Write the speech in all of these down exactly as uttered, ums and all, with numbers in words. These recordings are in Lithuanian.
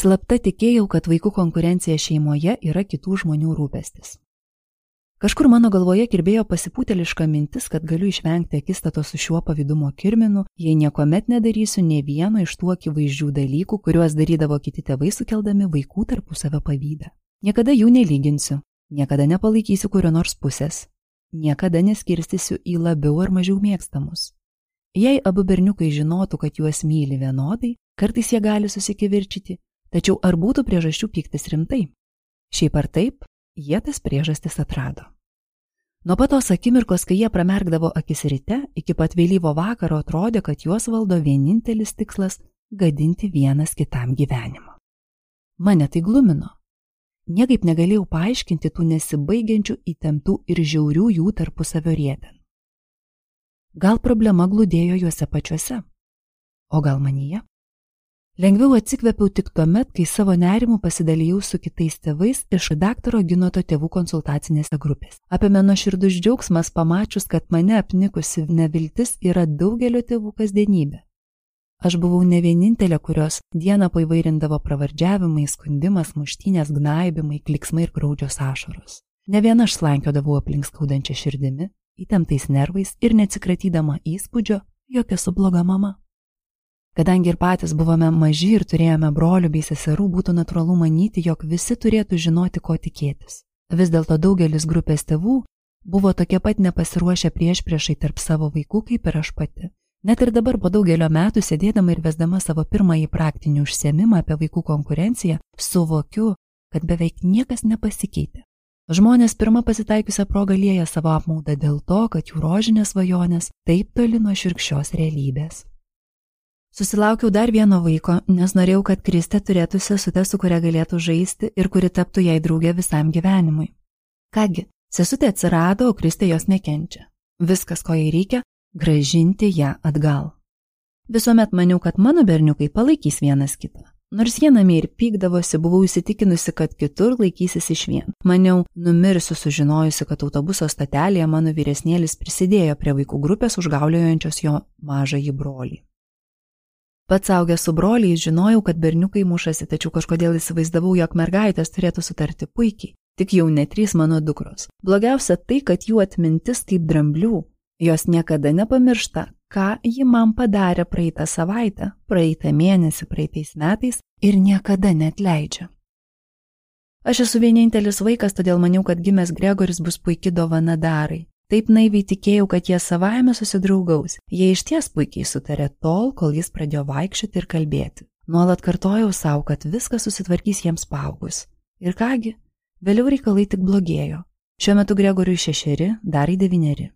Slapta tikėjau, kad vaikų konkurencija šeimoje yra kitų žmonių rūpestis. Kažkur mano galvoje kirbėjo pasipūteliška mintis, kad galiu išvengti akistato su šiuo pavydumo kirminu, jei niekuomet nedarysiu nė vieno iš tų akivaizdžių dalykų, kuriuos darydavo kiti tėvai sukeldami vaikų tarpusavio pavydą. Niekada jų nelyginsiu, niekada nepalaikysiu kurio nors pusės, niekada neskirstysiu į labiau ar mažiau mėgstamus. Jei abu berniukai žinotų, kad juos myli vienodai, kartais jie gali susikivirčyti, tačiau ar būtų priežasčių pyktis rimtai? Šiaip ar taip, jie tas priežastis atrado. Nuo pat tos akimirkos, kai jie pramerkdavo akis ryte, iki pat vėlyvo vakaro atrodė, kad juos valdo vienintelis tikslas – gadinti vienas kitam gyvenimą. Mane tai glumino. Niekaip negalėjau paaiškinti tų nesibaigiančių įtemptų ir žiaurių jų tarpusavio rietenų. Gal problema glūdėjo juose pačiuose? O gal manyje? Lengviau atsikvėpiau tik tuomet, kai savo nerimų pasidalijau su kitais tėvais iš daktaro Ginoto tėvų konsultacinėse grupės. Apėmė nuoširdus džiaugsmas pamačius, kad mane apnikusi neviltis yra daugelio tėvų kasdienybė. Aš buvau ne vienintelė, kurios dieną paįvairindavo pravardžiavimai, skundimas, muštynės, gnaibimai, kliksmai ir graudžios ašaros. Ne viena aš slankiodavau aplink skaudančią širdimi, įtemptais nervais ir neatsikratydama įspūdžio, jog esu bloga mama. Kadangi ir patys buvome maži ir turėjome brolių bei seserų, būtų natūralu manyti, jog visi turėtų žinoti, ko tikėtis. Vis dėlto daugelis grupės tėvų buvo tokie pat nepasiruošę priešpriešai tarp savo vaikų, kaip ir aš pati. Net ir dabar po daugelio metų, sėdėdama ir vesdama savo pirmąjį praktinį užsiėmimą apie vaikų konkurenciją, suvokiu, kad beveik niekas nepasikeitė. Žmonės pirmą pasitaikiusią progą lieja savo apmaudą dėl to, kad jų rožinės svajonės taip toli nuo šiurkščios realybės. Susilaukiau dar vieno vaiko, nes norėjau, kad Kristė turėtų sesutę, su kuria galėtų žaisti ir kuri taptų jai draugė visam gyvenimui. Kągi, sesutė atsirado, o Kristė jos nekenčia. Viskas, ko jai reikia, grąžinti ją atgal. Visuomet maniau, kad mano berniukai palaikys vienas kitą. Nors jie namie ir pykdavosi, buvau įsitikinusi, kad kitur laikysis išvien. Maniau, numirsiu sužinojusi, kad autobuso stotelėje mano vyresnėlis prisidėjo prie vaikų grupės užgauliojančios jo mažąjį brolį. Pats augęs su broliais žinojau, kad berniukai mušasi, tačiau kažkodėl įsivaizdavau, jog mergaitės turėtų sutarti puikiai, tik jau ne trys mano dukros. Blogiausia tai, kad jų atmintis kaip dramblių, jos niekada nepamiršta, ką ji man padarė praeitą savaitę, praeitą mėnesį, praeitais metais ir niekada neatleidžia. Aš esu vienintelis vaikas, todėl maniau, kad gimęs Gregoris bus puiki dovana Darai. Taip naiviai tikėjau, kad jie savaime susidraugaus. Jie išties puikiai sutarė tol, kol jis pradėjo vaikščioti ir kalbėti. Nuolat kartojau savo, kad viskas susitvarkys jiems paaugus. Ir kągi, vėliau reikalai tik blogėjo. Šiuo metu Gregoriui šešeri, Darai devyneri.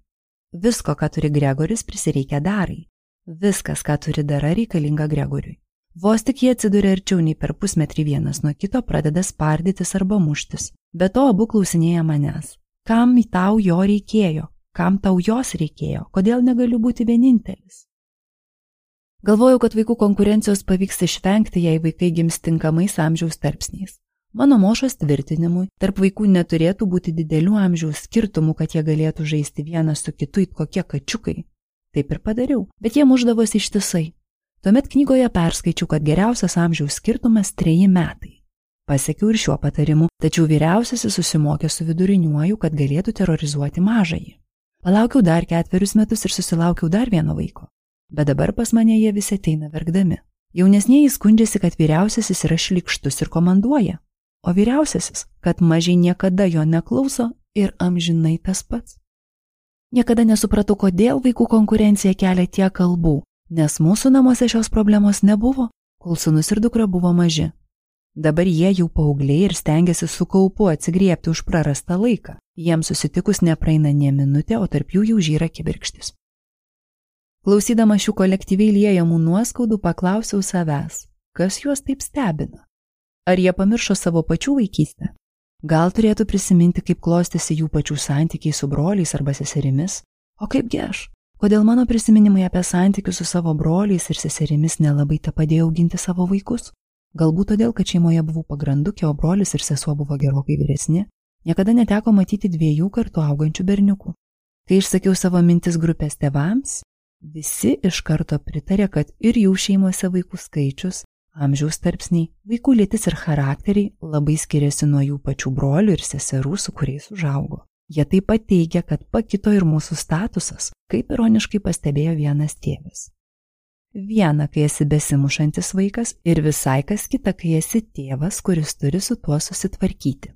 Visko, ką turi Gregoris, prisireikia Darai. Viskas, ką turi Dara, reikalinga Gregoriui. Vos tik jie atsiduria arčiau nei per pusmetrį vienas nuo kito, pradeda spardytis arba muštis. Be to abu klausinėja manęs. Kam tau jo reikėjo? Kam tau jos reikėjo? Kodėl negaliu būti vienintelis? Galvojau, kad vaikų konkurencijos pavyks išvengti, jei vaikai gims tinkamais amžiaus tarpsniais. Mano mošos tvirtinimui, tarp vaikų neturėtų būti didelių amžiaus skirtumų, kad jie galėtų žaisti vienas su kitu it kokie kačiukai. Taip ir padariau, bet jie mušdavosi ištisai. Tuomet knygoje perskaičiau, kad geriausias amžiaus skirtumas treji metai. Pasiekiau ir šiuo patarimu, tačiau vyriausiasis susimokė su viduriniuoju, kad galėtų terorizuoti mažąjį. Palaukiau dar ketverius metus ir susilaukiau dar vieno vaiko. Bet dabar pas mane jie visi ateina verkdami. Jaunesnieji skundžiasi, kad vyriausiasis yra šlykštus ir komanduoja, o vyriausiasis, kad mažiai niekada jo neklauso ir amžinai tas pats. Niekada nesupratau, kodėl vaikų konkurencija kelia tiek kalbų, nes mūsų namuose šios problemos nebuvo, kol sūnus ir dukra buvo maži. Dabar jie jau paaugliai ir stengiasi su kaupu atsigriebti už prarastą laiką. Jiems susitikus nepraeina nė minutė, o tarp jų jau žyra kibirkštis. Klausydama šių kolektyviai liejamų nuoskaudų, paklausiau savęs, kas juos taip stebina. Ar jie pamiršo savo pačių vaikystę? Gal turėtų prisiminti, kaip klostėsi jų pačių santykiai su broliais arba seserimis? O kaipgi aš? Kodėl mano prisiminimai apie santykius su savo broliais ir seserimis nelabai te padėjo auginti savo vaikus? Galbūt todėl, kad šeimoje buvau pagrandukė, o brolis ir sesuo buvo gerokai vyresni, niekada neteko matyti dviejų kartų augančių berniukų. Kai išsakiau savo mintis grupės tėvams, visi iš karto pritarė, kad ir jų šeimose vaikų skaičius amžiaus tarpsniai, vaikų lytis ir charakteriai labai skiriasi nuo jų pačių brolių ir seserų, su kuriais užaugo. Jie taip pat teigia, kad pakito ir mūsų statusas, kaip ironiškai pastebėjo vienas tėvas. Viena, kai esi besimušantis vaikas, ir visai kas kita, kai esi tėvas, kuris turi su tuo susitvarkyti.